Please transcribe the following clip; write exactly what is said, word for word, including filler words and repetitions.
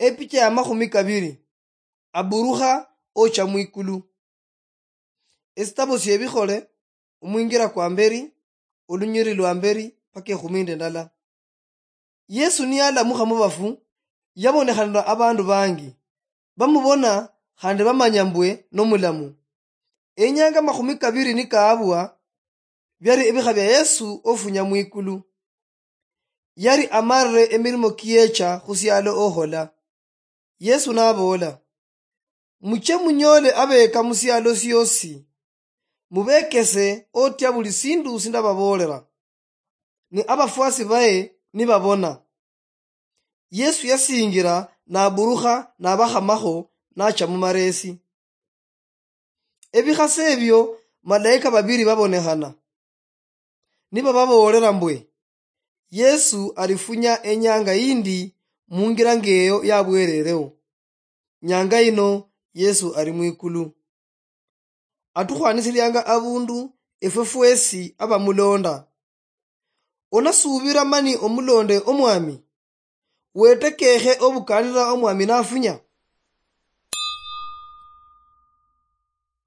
Epicha ya makhumi kabiri. Aburukha ocha mwikulu. Esitabo siebikhole, omwingira kwa mberi, olunyiri lwa mberi paka ekhumi nende ndala. Yesu niyalamukha mubafu, yabonekhanira abandu bangi, bamubona khandi bamanya mbwe nomulamu. Enyanga makhumi kabiri nikaabwa, byali ebikha bya Yesu ofunya mwikulu. Yali amarire emirimo kiyecha khusialo okhola. Yesu naboola, "Muche munyole abeka musialo siosi, mubekese otya buli sindu sindababoolera, ni abafwasi baye nibabona." Yesu yasingira naburukha nabakhamakho nacha mumaresi. Ebikhase ebio malaika babiri babonekhana, nibababoolera mbwe, "Yesu alifunya enyanga yindi mungira ngeyo yabwerereo. Nyanga yino Yesu ali mwikulu. Atukhwanisilianga abundu efwe fwesi abamulonda." Onasuubira mani omulonde Omwami? Wetekekhe obukanira Omwami nafunya?